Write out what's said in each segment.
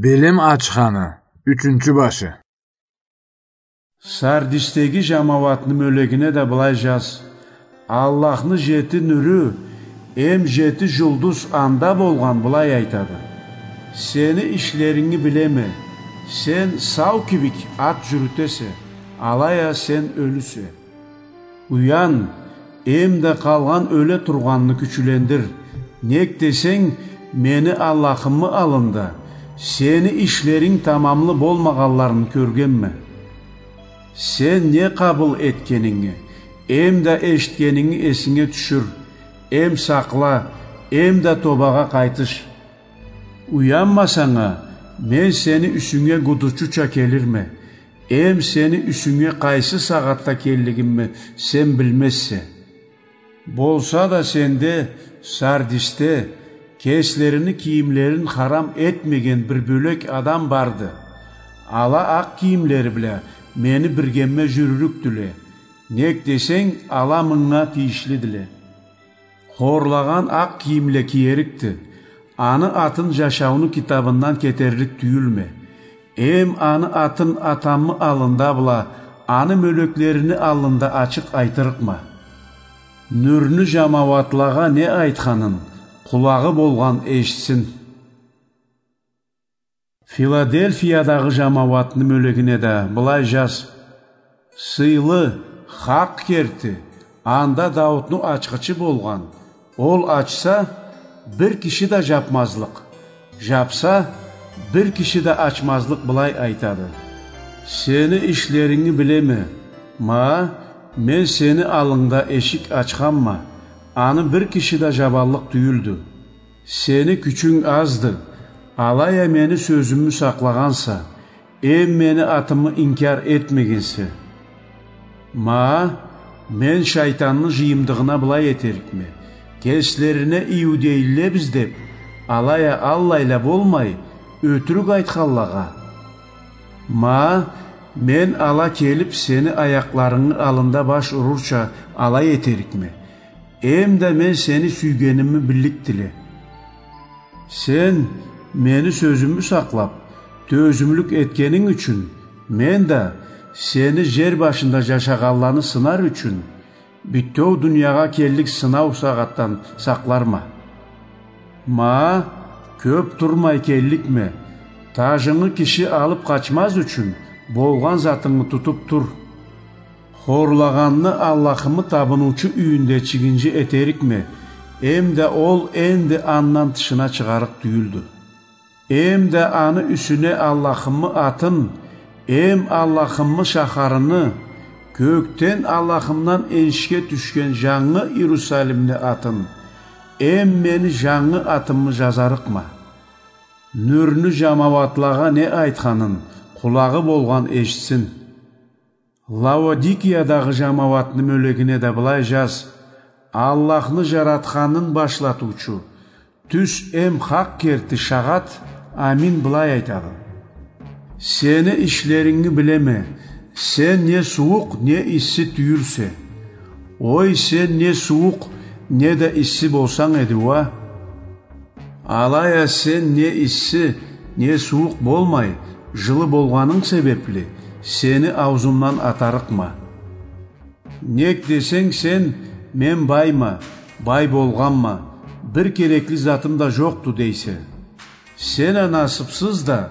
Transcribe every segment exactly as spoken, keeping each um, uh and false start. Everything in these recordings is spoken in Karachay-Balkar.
Билим ачханы, ючюнчю башы. Сардистеги жамауатны мёлегине да былай жаз: Аллахны жети нюрю, эм жети жулдуз анда болгъан былай айтады: Сени ишлеринги билеме, сен сау кибик ат жюрютесе, алай а сен ёлюсе. Уян, эм да къалгъан ёле тургъанны кючюлендир. Нек десенг, мени Аллахымы аллында сени ишлеринг тамамлы болмагъанларын кёргенме. Сен не къабыл этгенинги, эм да эшитгенинги эсинге тюшюр, эм сакъла, эм да тобагъа къайтыш. Уянмасанг а, мен сени юсюнге гудучуча келирме, эм сени юсюнге къайсы сагъатда келлигимни сен билмезсе. Болса да сенде, Сардисте, кеслерини кийимлерин харам этмеген бир бёлек адам барды. Ала акъ кийимлери бла мени биргемме жюрюрюкдюле, нек десенг, ала мынга тийишлидиле. Хорлагъан акъ кийимле киерикди. Аны атын жашауну китабындан кетерлик тюйюлме. Эм аны атын атамы аллында бла аны мёлеклерини аллында ачыкъ айтырыкъма. Нюрню жамауатлагъа не айтханын къулагъы болгъан эшитсин. Филадельфиядагъы жамауатны мёлегине да былай жаз: Сыйлы, хакъ керти, анда Даутну ачхычы болгъан, ол ачса, бир киши да жапмазлыкъ, жапса, бир киши да ачмазлыкъ былай айтады: Сени ишлеринги билеме, ма, мен сени аллынгда эшик ачханма, аны бир киши да жабаллыкъ тюйюлдю. Сени кючюнг азды, алай а мени сёзюмю сакълагъанса, эм мени атымы инкяр этмегенсе. Ма, мен шайтанны жыйымдыгъына былай этерикме: кеслерине иудейлилебиз деп, алай а аллайла болмай, ётюрюк айтханлагъа. Ма, мен ала келип сени аякъларынгы аллында баш урурча алай этерикме. Эм да мен сени сюйгенимни билликдиле. Сен мени сёзюмю сакълап, тёзюмлюк этгенинг ючюн, мен да сени жер башында жашагъанланы сынар ючюн, бютеу дуниягъа келлик сынау сагъатдан сакъларма. Ма, кёп турмай келликме, тажынгы киши алып къачмаз ючюн, болгъан затынгы тутуп тур. Хорлагъанны Аллахымы табыныучу юйюнде чигинжи этерикме, эм да ол энди андан тышына чыгъарыкъ тюйюлдю. Эм да аны юсюне Аллахымы атын, эм Аллахымы шахарыны, кёкден Аллахымдан энишге тюшген жангы Иерусалимни атын, эм мени жангы атымы жазарыкъма. Нюрню жамауатлагъа не айтханын къулагъы болгъан эшитсин. Лаодикиядагъы жамауатны мёлегине да былай жаз: Аллахны жаратханын башлатыучу, тюз эм хакъ керти шагъат Амин былай айтады: Сени ишлеринги билеме, сен не сууукъ, не исси тюйюлсе. Ой, сен не сууукъ, не да исси болсанг эди уа. Алай а сен не исси, не сууукъ болмай, жылы болгъанынг себепли, сени ауузумдан атарыкъма. Нек десенг сен: «Мен байма, бай болгъанма, бир керекли затым да жокъду», — дейсе. Сен а насыпсыз да,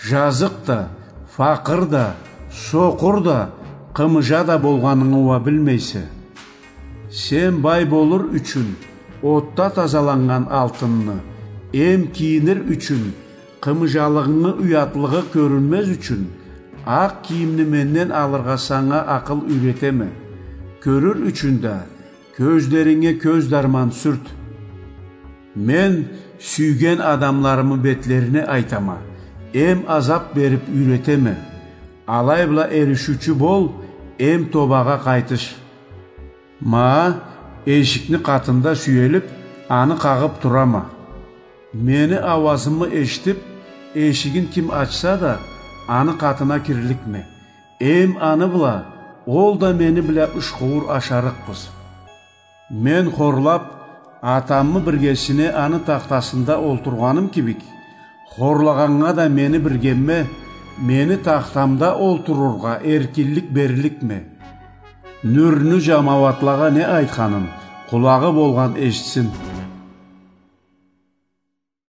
жазыкъ да, факъыр да, сокъур да, къымыжа да болгъанынгы уа билмейсе. Сен бай болур ючюн отда тазаланнган алтынны, эм кийинир ючюн, къымыжалыгъынгы уятлыгъы кёрюнмез ючюн, акъ кийимни менден алыргъа санга акъыл юйретеме. Кёрюр ючюн да кёзлеринге кёз дарман сюрт. Мен сюйген адамларымы бетлерине айтама, эм азап берип юйретеме. Алай бла эришиучю бол, эм тобагъа къайтыш. Ма, эшикни къатында сюелип, аны къагъып турама. Мени ауазымы эшитип, эшигин ким ачса да, аны къатына кирликме. Эм аны бла, ол да мени бла ушхууур ашарыкъбыз. Мен хорлап, атамы биргесине аны тахтасында олтургъаным кибик, Хорлагъаннга да мени биргемме, мени тахтамда олтурургъа эркинлик берликме? Нюрню жамауатлагъа не айтханым, къулагъы болгъан эшитсин.